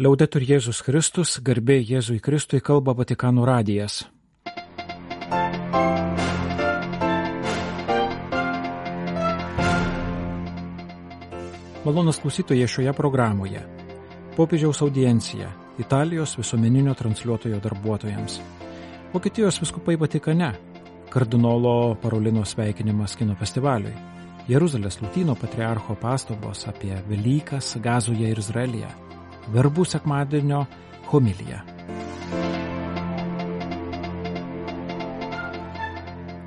Liaudetur Jėzus Kristus, garbė Jėzui Kristui, kalba Vatikano radijas. Malonūs klausytojai šioje programoje. Popiežiaus audiencija Italijos visuomeninio transliuotojo darbuotojams. Vokietijos vyskupai Vatikane. Kardinolo Parolino sveikinimas kino festivaliui. Jeruzalės Lotynų patriarcho pastabos apie Velykas Gazoje ir Izraelyje. Verbų sekmadienio homilija.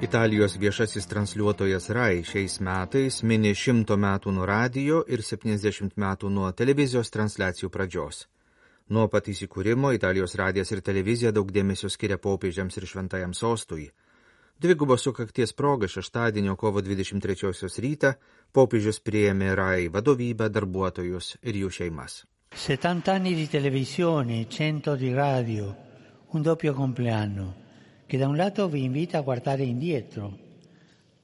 Italijos viešasis transliuotojas RAI šiais metais mini 100 metų nuo radijo ir 70 metų nuo televizijos transliacijų pradžios. Nuo pat įsikūrimo Italijos radijas ir televizija daug dėmesio skiria popiežiams ir šventajam sostui. Dvigubos sukakties proga šeštadienio kovo 23 rytą popiežius priėmė RAI vadovybę, darbuotojus ir jų šeimas. 70 anni di televisione, 100 di radio, un doppio compleanno, che da un lato vi invita a guardare indietro,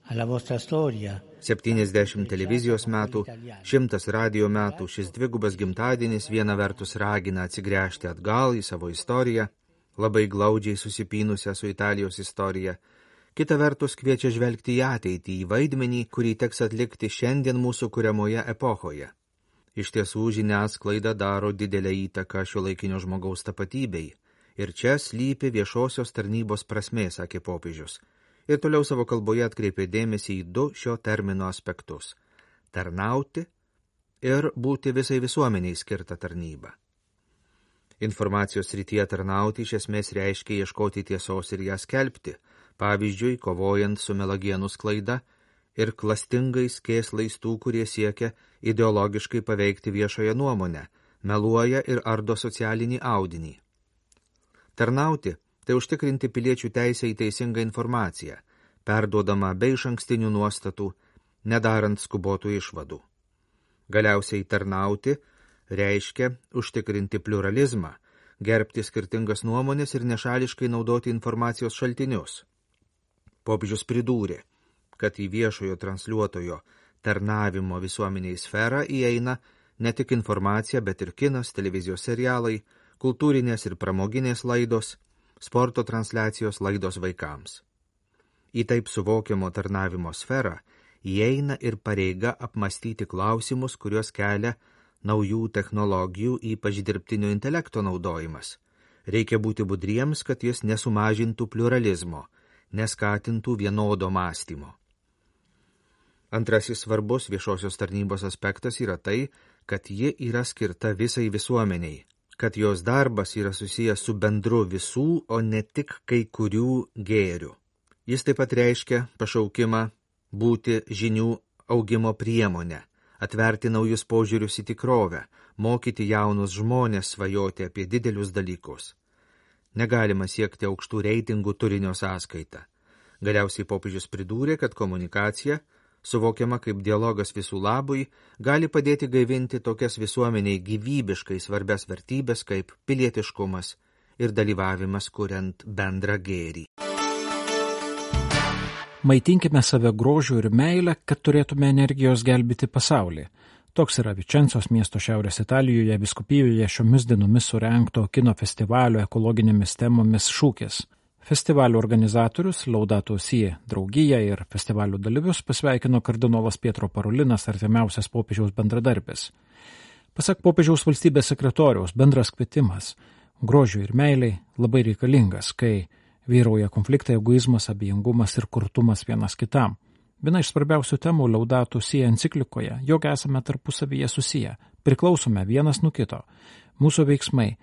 alla vostra storia. 70 televizijos metų, 100 radio metų, šis dvigubas gimtadienis viena vertus ragina atsigręžti atgal į savo istoriją, labai glaudžiai susipynusią su Italijos istorija, kita vertus kviečia žvelgti į ateitį, į vaidmenį, kurį teks atlikti šiandien mūsų kuriamoje epochoje. Iš tiesų žiniasklaida daro didelę įtaką šiuolaikinio žmogaus tapatybei. Ir čia slypi viešosios tarnybos prasmė, sakė popiežius. Ir toliau savo kalboje atkreipė dėmesį į du šio termino aspektus – tarnauti ir būti visai visuomeniai skirtą tarnybą. Informacijos srityje tarnauti iš esmės reiškia ieškoti tiesos ir ją skelbti, pavyzdžiui, kovojant su melagienų sklaida ir klastingais kėslais tų, kurie siekia ideologiškai paveikti viešoją nuomonę, meluoja ir ardo socialinį audinį. Tarnauti – tai užtikrinti piliečių teisę į teisingą informaciją, perduodama be išankstinių nuostatų, nedarant skubotų išvadų. Galiausiai tarnauti reiškia užtikrinti pluralizmą, gerbti skirtingas nuomonės ir nešališkai naudoti informacijos šaltinius. Popiežius pridūrė, kad į viešojo transliuotojo tarnavimo visuomeniai sferą įeina ne tik informacija, bet ir kinas, televizijos serialai, kultūrinės ir pramoginės laidos, sporto transliacijos laidos vaikams. Į taip suvokiamo tarnavimo sferą įeina ir pareiga apmastyti klausimus, kuriuos kelia naujų technologijų, ypač dirbtinio intelekto naudojimas. Reikia būti budriems, kad jis nesumažintų pluralizmo, neskatintų vienodo mąstymo. Antrasis svarbus viešosios tarnybos aspektas yra tai, kad ji yra skirta visai visuomeniai, kad jos darbas yra susijęs su bendru visų, o ne tik kai kurių gėrių. Jis taip pat reiškia pašaukimą būti žinių augimo priemonę, atverti naujus požiūrius į tikrovę, mokyti jaunus žmonės svajoti apie didelius dalykus. Negalima siekti aukštų reitingų turinio sąskaitą. Galiausiai popiežius pridūrė, kad komunikacija, suvokiama kaip dialogas visų labui, gali padėti gaivinti tokias visuomeniai gyvybiškai svarbias vertybės kaip pilietiškumas ir dalyvavimas kuriant bendrą gėrį. Maitinkime save grožiu ir meilę, kad turėtume energijos gelbėti pasaulį. Toks yra Vičencos miesto Šiaurės Italijoje vyskupijoje šiomis dienomis surengto kino festivalio ekologinėmis temomis šūkis. Festivalio organizatorius Laudato Si draugija ir festivalio dalyvius pasveikino kardinolas Pietro Parolinas, artimiausias popiežiaus bendradarbis. Pasak popiežiaus valstybės sekretoriaus, bendras kvietimas grožiui ir meiliai labai reikalingas, kai vyrauja konfliktai, egoizmas, abejingumas ir kurtumas vienas kitam. Viena iš svarbiausių temų Laudato Si enciklikoje, jog esame tarpusavyje susiję, priklausome vienas nuo kito. Mūsų veiksmai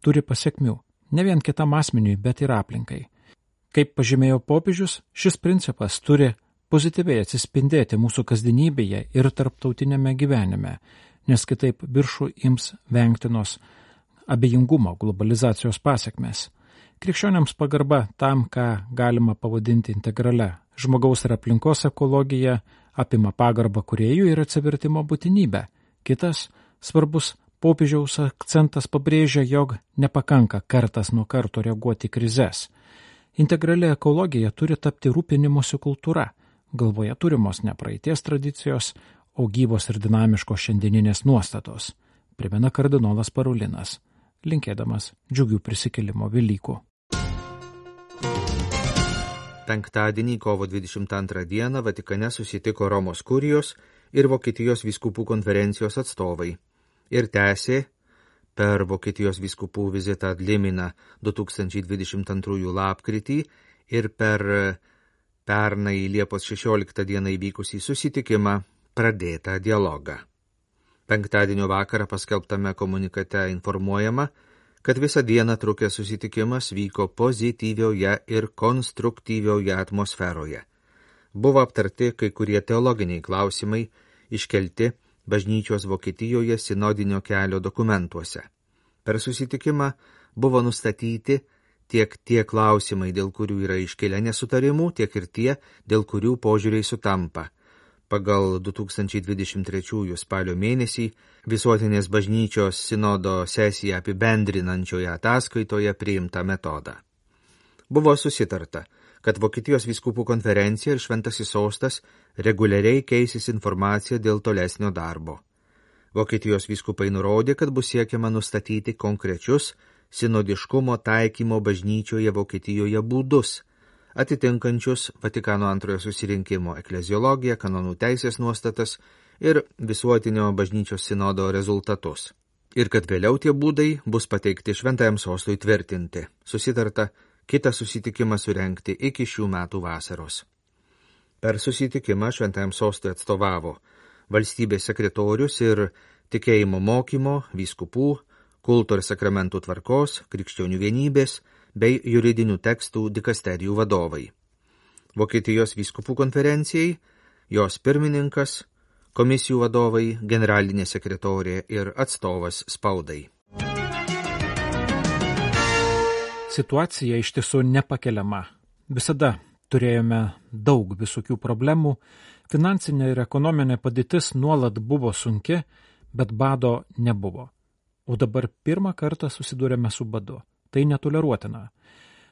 turi pasekmių, ne vien kitam asmeniui, bet ir aplinkai. Kaip pažymėjo popiežius, šis principas turi pozityviai atsispindėti mūsų kasdienybėje ir tarptautinėme gyvenime, nes kitaip viršų ims vengtinos abejingumo globalizacijos pasekmės. Krikščioniams pagarba tam, ką galima pavadinti integralia žmogaus ir aplinkos ekologija, apima pagarbą kūrėjų ir atsivertimo būtinybę. Kitas svarbus popiežiaus akcentas pabrėžia, jog nepakanka kartas nuo karto reaguoti į krizes. Integrali ekologija turi tapti rūpinimosi kultūra, galvoje turimos ne praeities tradicijos, o gyvos ir dinamiškos šiandieninės nuostatos, primena kardinolas Parolinas. linkėdamas džiugių prisikėlimo Velykų. Penktadienį, kovo 22 dieną, Vatikane susitiko Romos kurijos ir Vokietijos vyskupų konferencijos atstovai ir tęsė per Vokietijos vyskupų vizitą Adliminą 2022 lapkritį ir per pernai Liepos 16 dieną įvykusį susitikimą pradėtą dialogą. Penktadienio vakarą paskelbtame komunikate informuojama, kad visą dieną trukęs susitikimas vyko pozityvioje ir konstruktyvioje atmosferoje. Buvo aptarti kai kurie teologiniai klausimai, iškelti bažnyčios Vokietijoje sinodinio kelio dokumentuose. Per susitikimą buvo nustatyti tiek tie klausimai, dėl kurių yra iškilę nesutarimų, tiek ir tie, dėl kurių požiūriai sutampa. Pagal 2023 spalio mėnesį Visuotinės bažnyčios sinodo sesiją apibendrinančioje ataskaitoje priimtą metodą. Buvo susitarta, kad Vokietijos vyskupų konferencija ir Šventasis sostas reguliariai keisis informaciją dėl tolesnio darbo. Vokietijos vyskupai nurodė, kad bus siekiama nustatyti konkrečius sinodiškumo taikymo bažnyčioje Vokietijoje būdus, atitinkančius Vatikano antrojo susirinkimo ekleziologiją, kanonų teisės nuostatas ir visuotinio bažnyčios sinodo rezultatus. Ir kad vėliau tie būdai bus pateikti Šventajam sostui tvirtinti. Susitarta kitą susitikimą surengti iki šių metų vasaros. Per susitikimą Šventajam sostui atstovavo valstybės sekretorius ir tikėjimo mokymo, vyskupų, kulto ir sakramentų tvarkos, krikščionių vienybės bei juridinių tekstų dikasterijų vadovai. Vokietijos vyskupų konferencijai, jos pirmininkas, komisijų vadovai, generalinė sekretorė ir atstovas spaudai. Situacija iš tiesų nepakeliama. Visada turėjome daug visokių problemų, finansinė ir ekonominė padėtis nuolat buvo sunki, bet bado nebuvo. O dabar pirmą kartą susidūrėme su badu. Tai netoleruotina,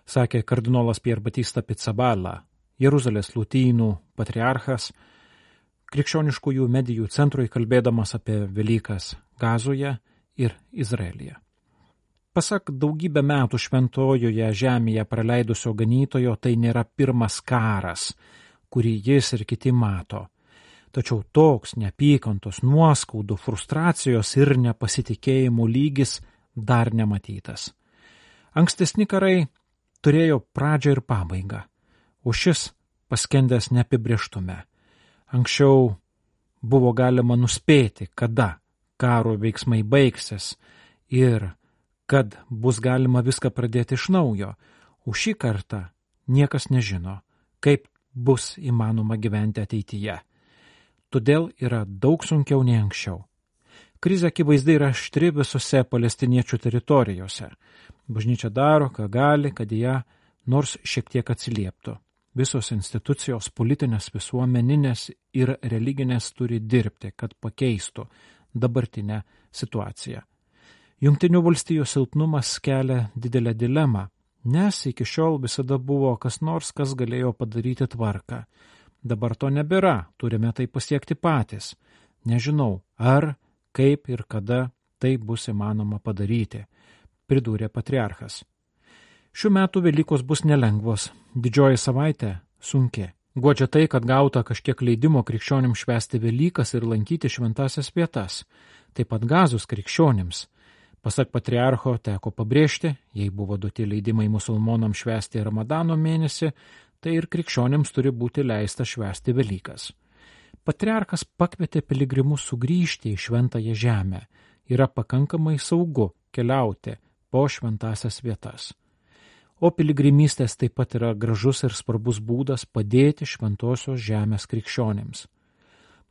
sakė kardinolas Pier Battista Pizzaballa, Jeruzalės lotynų patriarchas, krikščioniškųjų medijų centrui kalbėdamas apie Velykas Gazoje ir Izraelyje. Pasak daugybę metų šventojoje žemėje praleidusio ganytojo, tai nėra pirmas karas, kurį jis ir kiti mato. Tačiau toks neapykantos, nuoskaudų, frustracijos ir nepasitikėjimų lygis dar nematytas. Ankstesni karai turėjo pradžią ir pabaigą, o šis paskendęs neapibrėžtume. Anksčiau buvo galima nuspėti, kada karo veiksmai baigsis ir kad bus galima viską pradėti iš naujo, o šį kartą niekas nežino, kaip bus įmanoma gyventi ateityje. Todėl yra daug sunkiau nei anksčiau. Krizė akivaizdai yra aštri visose palestiniečių teritorijose. Bažnyčia daro, ką gali, kad ją nors šiek tiek atsilieptų. Visos institucijos, politinės, visuomeninės ir religinės turi dirbti, kad pakeistų dabartinę situaciją. Jungtinių valstijų silpnumas kelia didelę dilemą, nes iki šiol visada buvo kas nors, kas galėjo padaryti tvarką. Dabar to nebėra, turime tai pasiekti patys. Nežinau, ar, kaip ir kada tai bus įmanoma padaryti, pridūrė patriarchas. Šių metų Velykos bus nelengvos, didžioji savaitė sunki. Guodžia tai, kad gauta kažkiek leidimo krikščionims švęsti Velykas ir lankyti šventasias vietas, taip pat Gazos krikščionims. Pasak patriarcho teko pabrėžti, jei buvo duoti leidimai musulmonams švęsti Ramadano mėnesį, tai ir krikščionims turi būti leista švęsti Velykas. Patriarchas pakvietė piligrimus sugrįžti į šventąją žemę. Yra pakankamai saugu keliauti po šventasias vietas. O piligrimystės taip pat yra gražus ir svarbus būdas padėti šventosios žemės krikščionims.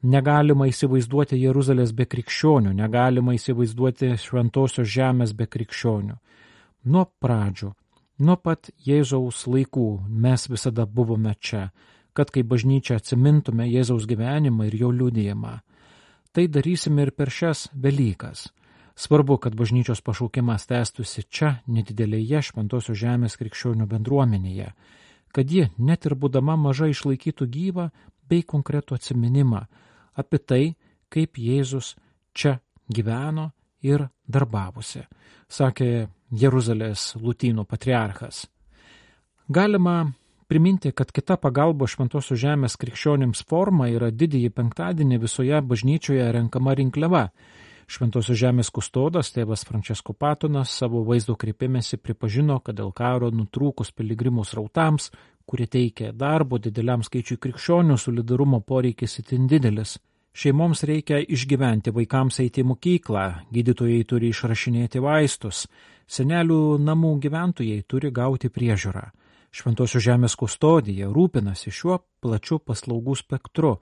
Negalima įsivaizduoti Jeruzalės be krikščionių, negalima įsivaizduoti šventosios žemės be krikščionių. Nuo pradžių, nuo pat Jėzaus laikų mes visada buvome čia, kad kaip bažnyčia atsimintume Jėzaus gyvenimą ir jo liudijimą. Tai darysime ir per šias Velykas. Svarbu, kad bažnyčios pašaukimas tęstųsi čia, nedidelėje šventosios žemės krikščionių bendruomenėje, kad ji, net ir būdama maža, išlaikytų gyvą bei konkretų atsiminimą apie tai, kaip Jėzus čia gyveno ir darbavosi, sakė Jeruzalės lotynų patriarchas. Galima priminti, kad kita pagalbo Šventosios žemės krikščionims forma yra didįjį penktadienį visoje bažnyčioje renkama rinkliava. Šventosios žemės kustodas tėvas Francesco Patonas savo vaizdo kreipimėsi pripažino, kad dėl karo nutrūkus piligrimų srautams, kurie teikia darbo dideliam skaičiui krikščionių, solidarumo poreikis itin didelis. Šeimoms reikia išgyventi, vaikams eiti į mokyklą, gydytojai turi išrašinėti vaistus, senelių namų gyventojai turi gauti priežiūrą. Šventosios žemės kustodija rūpinasi šiuo plačiu paslaugų spektru,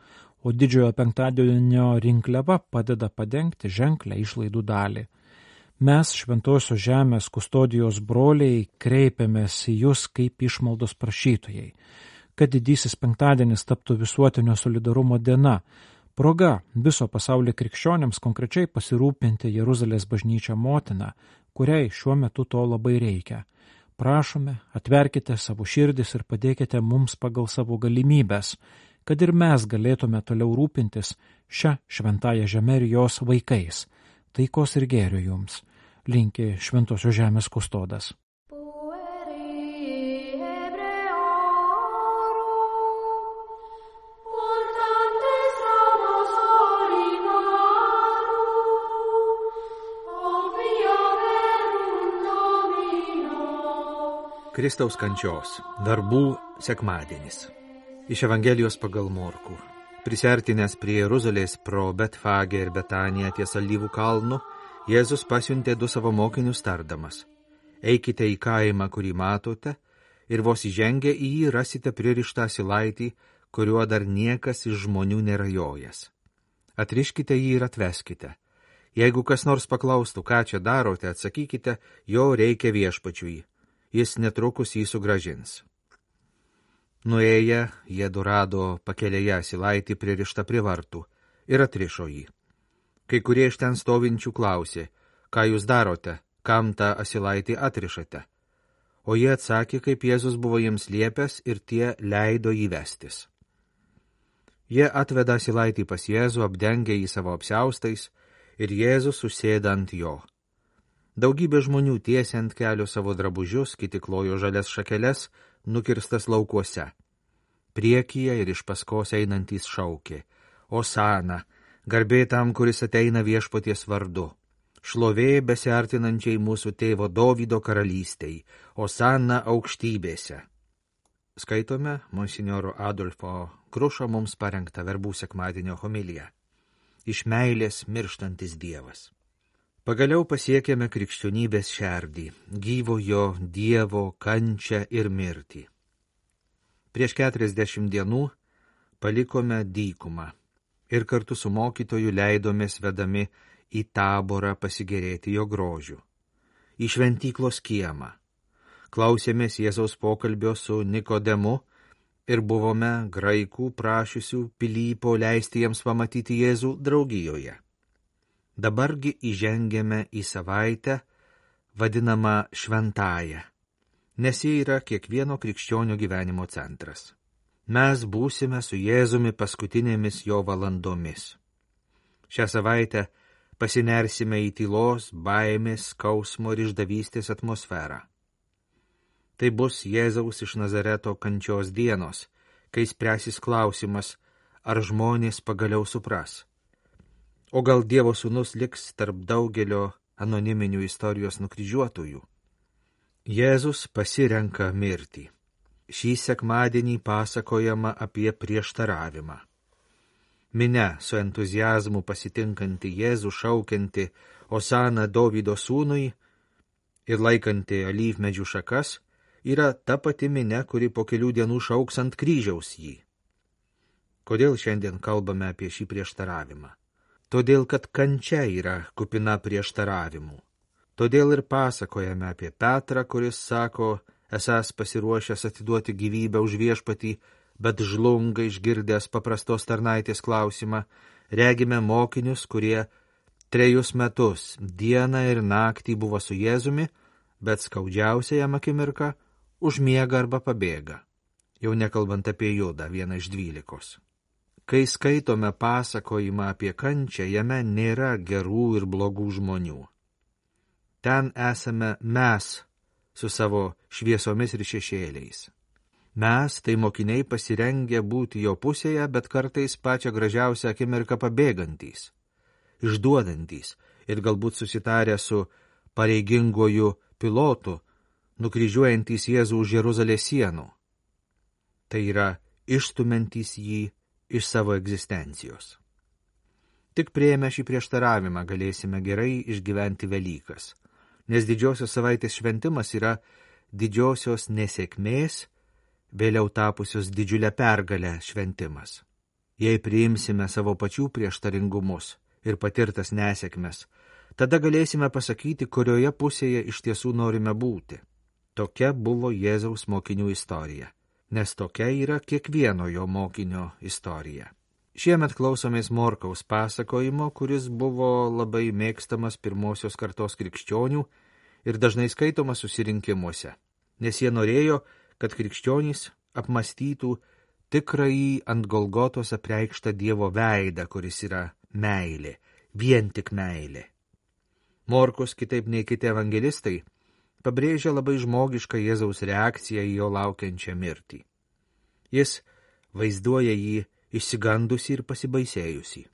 o didžiojo penktadienio rinkliava padeda padengti ženklę išlaidų dalį. Mes, Šventosios žemės kustodijos broliai, kreipiamės į jūs kaip išmaldos prašytojai, kad didysis penktadienis taptų visuotinio solidarumo diena, proga viso pasaulio krikščionėms konkrečiai pasirūpinti Jeruzalės bažnyčią motiną, kuriai šiuo metu to labai reikia. Prašome, atverkite savo širdis ir padėkite mums pagal savo galimybės, kad ir mes galėtume toliau rūpintis šią šventąją žemę ir jos vaikais. Taikos ir gėrio jums, linki Šventosios žemės kustodas. Kristaus kančios, verbų sekmadienis. Iš Evangelijos pagal Morkų. Prisiartinęs prie Jeruzalės pro Betfagę ir Betaniją ties Alyvų kalnu, Jėzus pasiuntė 2 savo mokinius tardamas: eikite į kaimą, kurį matote, ir vos įžengę į jį rasite pririštą asilaitį, kuriuo dar niekas iš žmonių nėra jojęs. Atriškite jį ir atveskite. Jeigu kas nors paklaustų, ką čia darote, atsakykite, jo reikia viešpačiui. Jis netrukus jį sugrąžins. Nuėję, jie rado pakelėje asilaitį pririštą prie vartų ir atrišo jį. Kai kurie iš ten stovinčių klausė: ką jūs darote, kam tą asilaitį atrišate? O jie atsakė, kaip Jėzus buvo jiems liepęs, ir tie leido jį vestis. Jie atveda asilaitį pas Jėzų, apdengė jį savo apsiaustais, ir Jėzus susėda ant jo. Daugybė žmonių tiesė ant kelio savo drabužius, kiti klojo žalias šakeles, nukirstas laukuose. Priekyje ir iš paskos einantys šaukė: Osana, garbė tam, kuris ateina viešpaties vardu. Šlovė besiartinančiai mūsų tėvo Dovydo karalystei. Osana aukštybėse. Skaitome monsinjoro Adolfo Krušo mums parengtą verbų sekmadienio homiliją. Iš meilės mirštantis Dievas. Pagaliau pasiekėme krikščionybės šerdį, gyvojo Dievo kančią ir mirtį. Prieš 40 dienų palikome dykumą ir kartu su mokytoju leidomės vedami į Taborą pasigėrėti jo grožiu, į šventyklos kiemą. Klausėmės Jėzaus pokalbio su Nikodemu ir buvome graikų prašiusių Pilypo leisti jiems pamatyti Jėzų draugijoje. Dabargi įžengėme į savaitę, vadinamą šventąją, nes ji yra kiekvieno krikščionio gyvenimo centras. Mes būsime su Jėzumi paskutinėmis jo valandomis. Šią savaitę pasinersime į tylos, baimės, skausmo ir išdavystės atmosferą. Tai bus Jėzaus iš Nazareto kančios dienos, kai spręsis klausimas, ar žmonės pagaliau supras. O gal Dievo sūnus liks tarp daugelio anoniminių istorijos nukryžiuotųjų? Jėzus pasirenka mirtį. Šį sekmadienį pasakojama apie prieštaravimą. Minia su entuziazmu pasitinkanti Jėzų šaukianti Osana Dovydo sūnui ir laikanti alyvmedžių šakas yra ta pati minia, kuri po kelių dienų šauks ant kryžiaus jį. Kodėl šiandien kalbame apie šį prieštaravimą? Todėl, kad kančia yra kupina prieštaravimų. Todėl ir pasakojame apie Petrą, kuris sako, esąs pasiruošęs atiduoti gyvybę už viešpatį, bet žlunga išgirdęs paprastos tarnaitės klausimą. Regime mokinius, kurie 3 metus dieną ir naktį buvo su Jėzumi, bet skaudžiausia jam akimirka užmiega arba pabėga. Jau nekalbant apie Judą, vieną iš 12. Kai skaitome pasakojimą apie kančią, jame nėra gerų ir blogų žmonių. Ten esame mes su savo šviesomis ir šešėliais. Mes, tai mokiniai, pasirengę būti jo pusėje, bet kartais pačią gražiausią akimirką pabėgantys, išduodantys ir galbūt susitarę su pareiginguoju pilotu, nukryžiuojantys Jėzų už Jeruzalės sienų. Tai yra išstumiantys jį iš savo egzistencijos. Tik priėmę šį prieštaravimą galėsime gerai išgyventi Velykas, nes didžiosios savaitės šventimas yra didžiosios nesėkmės, vėliau tapusios didžiulę pergalę šventimas. Jei priimsime savo pačių prieštaringumus ir patirtas nesėkmes, tada galėsime pasakyti, kurioje pusėje iš tiesų norime būti. Tokia buvo Jėzaus mokinių istorija, nes tokia yra kiekvieno jo mokinio istorija. Šiemet klausomės Morkaus pasakojimo, kuris buvo labai mėgstamas pirmosios kartos krikščionių ir dažnai skaitomas susirinkimuose, nes jie norėjo, kad krikščionys apmastytų tikrąjį ant Golgotos apreikštą Dievo veidą, kuris yra meilė, vien tik meilė. Morkus, kitaip nei kiti evangelistai, pabrėžia labai žmogišką Jėzaus reakciją į jo laukiančią mirtį. Jis vaizduoja jį išsigandusi ir pasibaisėjusi.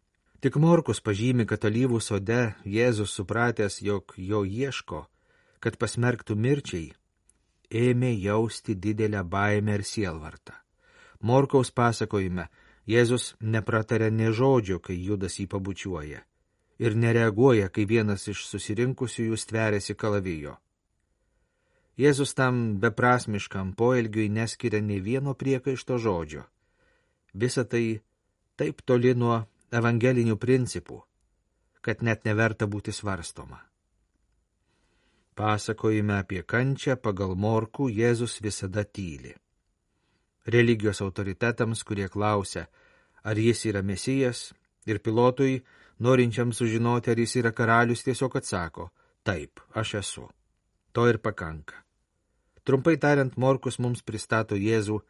Tik Morkus pažymi, kad alyvų sode Jėzus, supratęs, jog jo ieško, kad pasmerktų mirčiai, ėmė jausti didelę baimę ir sielvartą. Morkaus pasakojime Jėzus neprataria nė žodžio, kai Judas jį pabučiuoja, ir nereaguoja, kai vienas iš susirinkusiųjų stveriasi kalavijo. Jėzus tam beprasmiškam poelgiui neskiria nei vieno priekaišto žodžio. Visa tai taip toli nuo evangelinių principų, kad net neverta būti svarstoma. Pasakojime apie kančią pagal Morkų Jėzus visada tyli. Religijos autoritetams, kurie klausia, ar jis yra Mesijas, ir Pilotui, norinčiam sužinoti, ar jis yra karalius, tiesiog atsako, taip, aš esu. To ir pakanka. Trumpai tariant, Morkus mums pristato Jėzų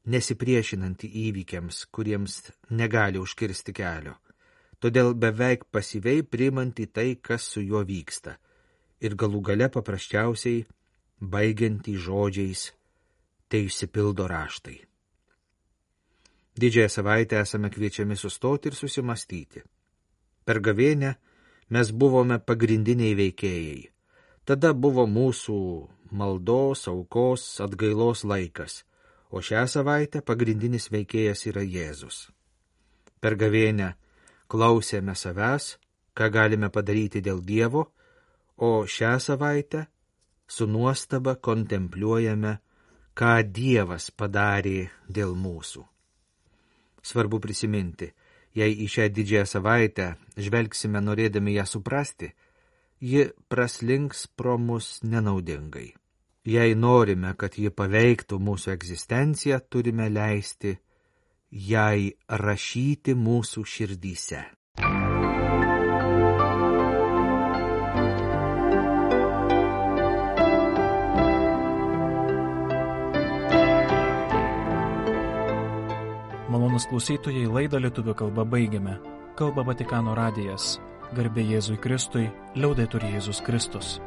nesipriešinantį įvykiams, kuriems negali užkirsti kelio, todėl beveik pasyviai priimantį tai, kas su juo vyksta, ir galų gale paprasčiausiai baigiantį žodžiais, tai išsipildo raštai. Didžiąją savaitę esame kviečiami sustoti ir susimastyti. Per gavėnią mes buvome pagrindiniai veikėjai. Tada buvo mūsų maldos, aukos, atgailos laikas, o šią savaitę pagrindinis veikėjas yra Jėzus. Per gavėnią klausėme savęs, ką galime padaryti dėl Dievo, o šią savaitę su nuostaba kontempliuojame, ką Dievas padarė dėl mūsų. Svarbu prisiminti, jei į šią didžiąją savaitę žvelgsime norėdami ją suprasti, ji praslinks pro mus nenaudingai. Jei norime, kad ji paveiktų mūsų egzistenciją, turime leisti jai rašyti mūsų širdyse. Malonūs klausytojai, laidą lietuvių kalba baigiame. Kalba Vatikano radijas. Garbė Jėzui Kristui, liaudetur Jėzus Kristus.